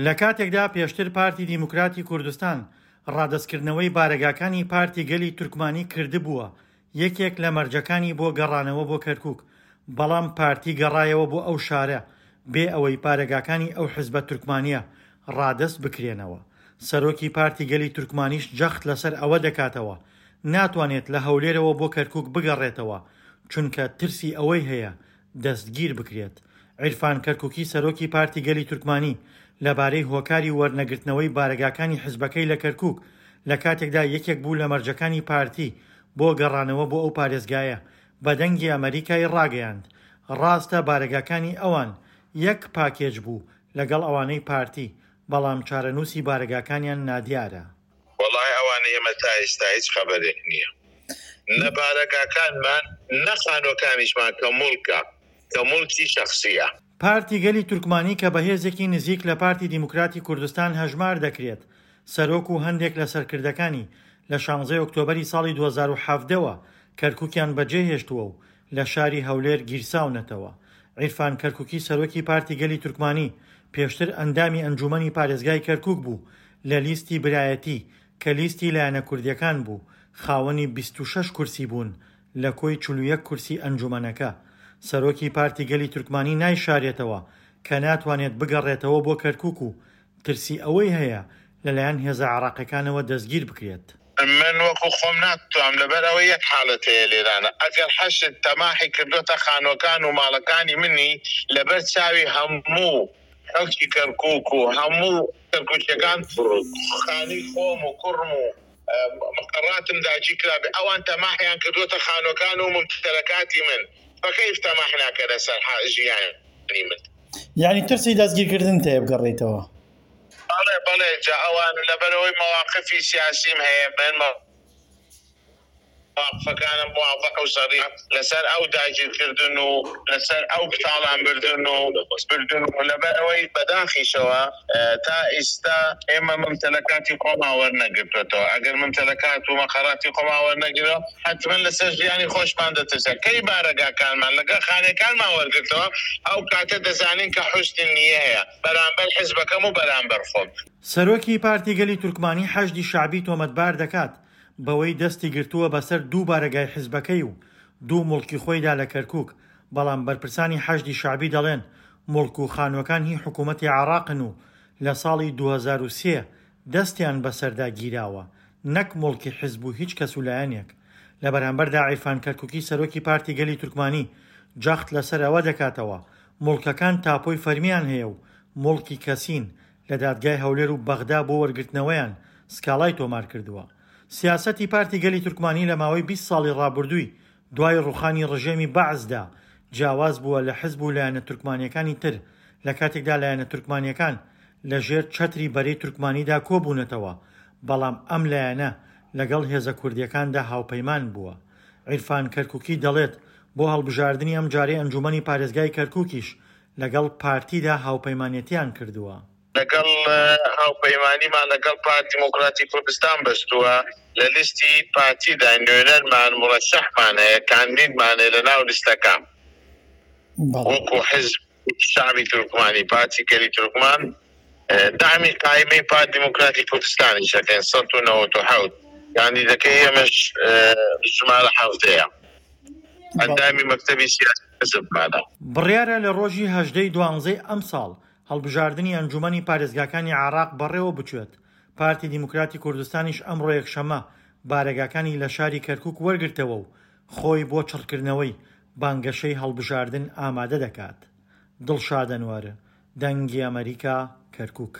لە کاتێکدا پێشتر پارتی دیموکراتی کوردستان ڕادەستکردنەوەی بارەگاکانی پارتی گەلی تورکمانی کردبووە یەکێک لە مەرجەکانی بۆ گەڕانەوە بۆ کەرکوک، بەڵام پارتی گەڕایەوە بۆ ئەو شارە بێ ئەوەی بارەگاکانی ئەو حزبە تورکمانییە ڕادەست بکرێنەوە. سەرۆکی پارتی گەلی تورکمانیش جەخت لەسەر ئەوە دەکاتەوە ناتوانێت لە هەولێرەوە بۆ کەرکوک بگەڕێتەوە، چونکە ترسی ئەوەی هەیە دەستگیر بکرێت. عیرفان کەرکوکی سەرۆکی پارتی گەلی تورکمانی لەبارەی هۆکاری وەرنەگرتنەوەی بارەگاکانی حزبەکەی لە کەرکوک لە کاتێکدا یەکێک بوو لە مەرجەکانی پارتی بۆ گەڕانەوە بۆ ئەو پارێزگایە بە دەنگی ئەمەریکای ڕاگەیاند ڕاستە بارەگاکانی ئەوان یەک پاکێج بوو لەگەڵ ئەوانەی پارتی بەڵام چارەنووسی بارەگاکانیان نادیارە. وەڵای ئەوانەی ئێمە تا ئیستا هیچ خەبەرێک نییە نە بارەگاکانمان نە خانوەکانیشمان کە موڵکە کە موڵکی شەخسیە. پارتی گەلی تورکمانی کە بە هێزێکی نزیک لە پارتی دیموکراتی کوردستان هەژمار دەکرێت، سەرۆک و هەندێک لە سەرکردەکانی لە شانزەی ئۆکتۆبەری ساڵی 2017 وە کەرکوکیان بەجێهێشتووە و لە شاری هەولێر گیرساونەتەوە. عیرفان کەرکوکی سەرۆکی پارتی گەلی تورکمانی پێشتر ئەندامی ئەنجوومەنی پارێزگای کەرکوک بوو لە لیستی برایەتی کە لیستی لایەنە کوردیەکان بوو خاوەنی 26 کورسی بوون لە کۆی 41 کورسی ئەنجوومەنەکە. سەرۆکی پارتی گەلی تورکمانی نایشارێتەوە کە ناتوانێت بگەڕێتەوە بۆ کەرکوک و ترسی ئەوەی هەیە لەلایەن هێزە عێراقیەکانەوە دەستگیر بکرێت. من وەکو خۆم ناتوام لەبەر ئەوەی یەک حالەت هەیە لێرانە ئەگەر حەشد تەماحی کردۆتە خانوەکان و ماڵەکانی منی لەبەر چاوی هەموو خەڵکی کەرکوک و هەموو کەرکوکیەکان خانوی خۆم و کوڕم و مقەڕاتم داگیر کرابێ ئەوان تەماحیان کردۆتە خانوەکان و ممتەلەکاتی من فەکەیف تەماح ناکەنە سەر ژیانی من. یانی ترسی دەستگیرکردنت هەیە بگەڕێیتەوە؟ بەڵێ بەڵێ جا ئەوان لەبەرئەوەی مەواقفی سیاسیم هەیە من مەواقفەکانم واضح و سەریح لەسەر ئەو داگیرکردن و لەسەر ئەو تاڵان بردن و بردن و لەبەرئەوەی بەداخیشەوە تا ئیستا ئێمە ممتەلەکاتی خۆمان وەرنەگرتوەتەوە ئەگەر ممتەلەکات و مەقەراتی خۆمان وەرنەگرەوە حەتمەن لەسەر ژیانی خۆشمان دەترسێن کەی بارەگاکانمان لەگەڵ خانەکانمان وەرگرتەوە ئەو کاتە دەزانین کە حوسنی نییە هەیە بەرامبەر حزبەکەم و بەرامبەر خۆم. سەرۆکی پارتی گەلی تورکمانی حەشدی شەعبی تۆمەتبار دەکات بەوەی دەستی گرتووە بەسەر دوو بارەگای حزبەکەی و دوو موڵکی خۆیدا لە کەرکوک، بەڵام بەرپرسانی حەشدی شەعبی دەڵێن موڵک و خانووەکان هی حکومەتی عێراقن و لە ساڵی 2003 دەستیان بەسەردا گیراوە نەک موڵکی حزب و هیچ کەس و لایەنێک. لە بەرامبەردا عیرفان کەرکوکی سەرۆکی پارتی گەلی تورکمانی جەخت لەسەر ئەوە دەکاتەوە موڵکەکان تاپۆی فەرمیان هەیە و موڵکی کەسین، لە دادگای هەولێر و بەغدا بۆ وەرگرتنەوەیان سکاڵای تۆمارکردووە. سیاسەتی پارتی گەلی تورکمانی لە ماوەی 20 ساڵی ڕابردووی دوای ڕوخانی ڕژێمی بەعسدا جیاواز بووە لە حزب و لایەنە تورکمانیەکانی تر، لە کاتێکدا لایەنە تورکمانیەکان لە ژێر چەتری بەرەی تورکمانیدا کۆبوونەتەوە، بەڵام ئەم لایەنە لەگەڵ هێزە کوردیەکاندا هاوپەیمان بووە. عیرفان کەرکوکی دەڵێت، بۆ هەڵبژاردنی ئەمجارەی ئەنجومەنی پارێزگای کەرکوکیش لەگەڵ پارتیدا هاوپەیمانێتیان کردووە. لەگەڵ هاوپەیمانیمان لەگەڵ پارتی دیموکراتی کوردستان بەستووە، لە لیستی پارتیدا نوێنەرمان، مورەشەحمان هەیە، کاندیدمان هەیە لەناو لیستەکان وەکو حزب شەعبی تورکمانی، پارتی گەلی تورکمان، دەعمی قایمەی پارتی دیموکراتی کوردستانیش ئەکەین، 197 کاندیدەکەی ئێمەش ژمارە حەڤدەیە، ئەندامی مەکتەبی سیاسی حزبمانە. بڕیارە لە ڕۆژی 18 ی دوانزەی ئەمساڵ هەڵبژاردنی ئەنجوومەنی پارێزگاکانی عێراق بەڕێوەبچێت، پارتی دیموکراتی کوردستانیش ئەمڕۆ یەکشەممە بارەگاکانی لە شاری کەرکووک وەرگرتەوە و خۆی بۆ چڕکردنەوەی بانگەشەی هەڵبژاردن ئامادە دەکات. دڵشاد ئەنوەر، دەنگی ئەمەریکا، کەرکووک.